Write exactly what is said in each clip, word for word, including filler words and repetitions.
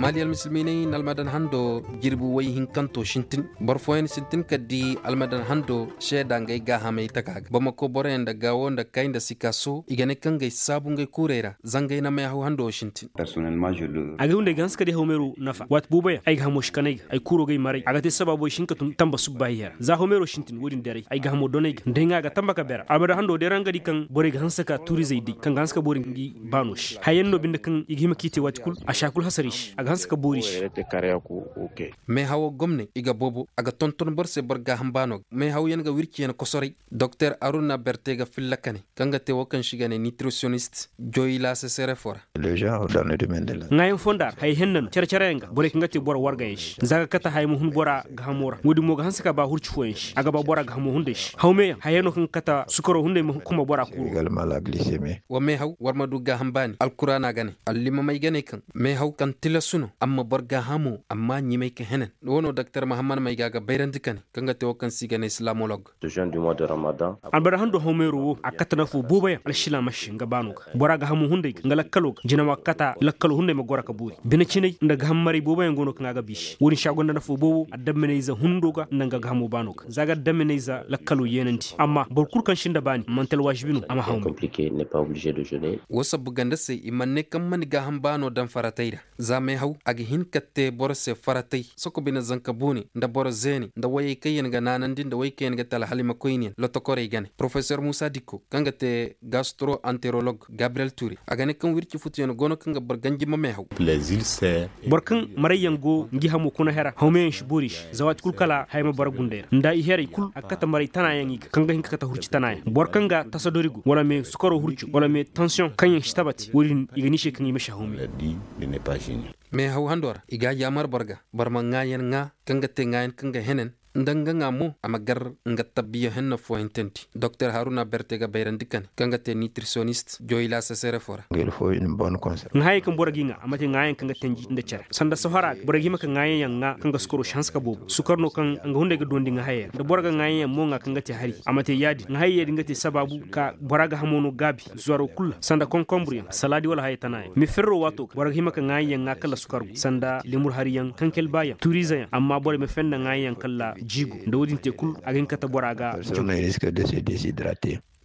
Maali almisilmiiney na almadan hando jirbi way hinkanto sintin. Boro fooyaŋ sintin ka di almadan hando seeda ngey gaahamey taka ga bamako boroyaŋ nda gaawo nda kay nda sikaaso i ga ne kaŋ ga ay saabu ngey kuurey ra. Zangey na meehaw hando wo sintin. Ay ga hunday ga hanse ka di hawmeero nafa waati boobo yaŋ ay ga hamo si kanay ga ay kuuro ga ay maray a ga te sababo ay si hin ka tun tamba subbaahi hera za hawmeero sintin wo- din deeray ay ga hamo donay ga nda ay ŋwa ga tamba ka beera almadan hando day ra nga di kaŋ borey ga hanse ka tuurizey day kaŋ ga hanse ka boori ngi baano se. Hayyaŋ no binde kaŋ i ga hima k'i te waati kulu a si hay kulu hasar i se a ga hanse ka boori i se. Meehawo gomney i ga boobo a ga tonton boro se boro gaaham baano ga meehawyaŋ ga wirciyaŋ kosoray. Doktor aruna berte ga filla kane kaŋ ga te wo kaŋ se i ga ne nitriciyonist joyila sesere fo ra. Ŋwaayaŋ fonda ra hayey henna no care care yaŋ ga borey kaŋ ga te boro wargayaŋ se za ga kate haya ma hun bora gaahamo ra wo- din mo ga hanse ka ba hurci fooyaŋ se a ga ba bora gaahamo hunday se hawmeyaŋ hayey no kaŋ ga kate sukaro hunday ma kuma bora kuuro. Wa meehaw war ma du gaaham baani alkuraana ga ne allimamey ga ne kaŋ meehaw kaŋ tilasu no amma boro gaahamo amma ɲimay ka henan. Wo no doktor mahammad may ga ga bayrandi kane kaŋ ga te wo kaŋ se i ga ne islamolog. Albada hando hawmeero wo a kate nafo boobo yaŋ alsilaama se nga baano ga bora ga hamo hunday ga nga lakkalo ga jinawa ga kate lakkalo hunday ma goro ka boori bine cinay nda ga ham maray boobo yaŋ go no kaŋ a ga biisi wo- din se a gonda nafo boobo addaminayze hundo ga nda nga ga hamo baano ga za ga addaminayze lakkalo yeenandi amma boro kulu kaŋ sinda baani manti alwaasibi no a ma haw me. Wo sabbu ganda se i mana ne kaŋ mana gaaham baano daŋ faratay ra. Za meehaw a ga hin ka te boro se faratay soko bine zanka boone nda boro zeene nda wayey kaŋ yaŋ ga naanandi nda way kaŋ yaŋ ga te alhalimakoyniyaŋ lotokorey ga ne porofesor muusa dikko kaŋ ga te gastro anterolog gabriyel ture a ga ne kaŋ wirci futuyaŋ go no kaŋ ga boro ganji ma meehaw. Boro kaŋ marayyaŋ go ngi hamo kuna hera hawmeyaŋ si boori se za waati kulu kala haya ma bara gunday ra nda i heray kulu a ga kate maray tanayaŋ i ga kaŋ ga hin ka kate hurci tanayaŋ boro kaŋ ga tasadori go wala me sukaro hurco wala me tansiyoŋ kaŋ yaŋ si tabati wo- din i ga ni se kaŋ i ma si hawme. Meehaw hando ra i ga a yaamar boro ga boro ma ŋaayan ŋaa kaŋ ga te ŋaayan kaŋ ga henan nda nga ŋaa mo a ma gar nga tabbiya henna fooyantandi. Doktor haruna berte ga bayrandi kane kaŋ ga te nitriciyonist joyila sesere fo ra. Ŋaayey kaŋ boro ga i ŋaa a ma te ŋaayaŋ kaŋ ga tanji nda care sanda sohora ga boro ga hima ka ŋaayaŋ yaŋ ŋaa kaŋ ga sukaro si hanse ka boobo sukar no kaŋ nga hunday ga dondi ŋaahayey ra da boro ga ŋaayaŋ yaŋ mo ŋaa kaŋ ga te hari a ma te ya- din ŋaahayey din ga te sabaabu ka bora ga hamo no gaabi zuwaro kulu ra sanda konkonbur yaŋ salaadi wala hayey tana yaŋ ma ferro waato ga boro ga hima ka ŋaayaŋ yaŋ ŋaa kala sukar go sanda limur hari yaŋ kaŋ kelba yaŋ tuuriize yaŋ amma borey ma fenda ŋaayaŋ yaŋ kala jiigo nda wo- din te kulu a ga hin ka te bora ga.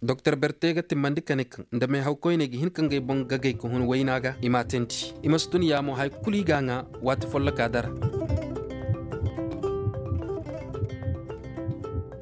Doktor berte ga timmandi ka ne kaŋ nda meehaw koyney ga hin ka ngey boŋ gagay ka hun wayna ga i m'a teendi i ma si tun yaamo hari kulu i ga a ŋaa waati folloka dara.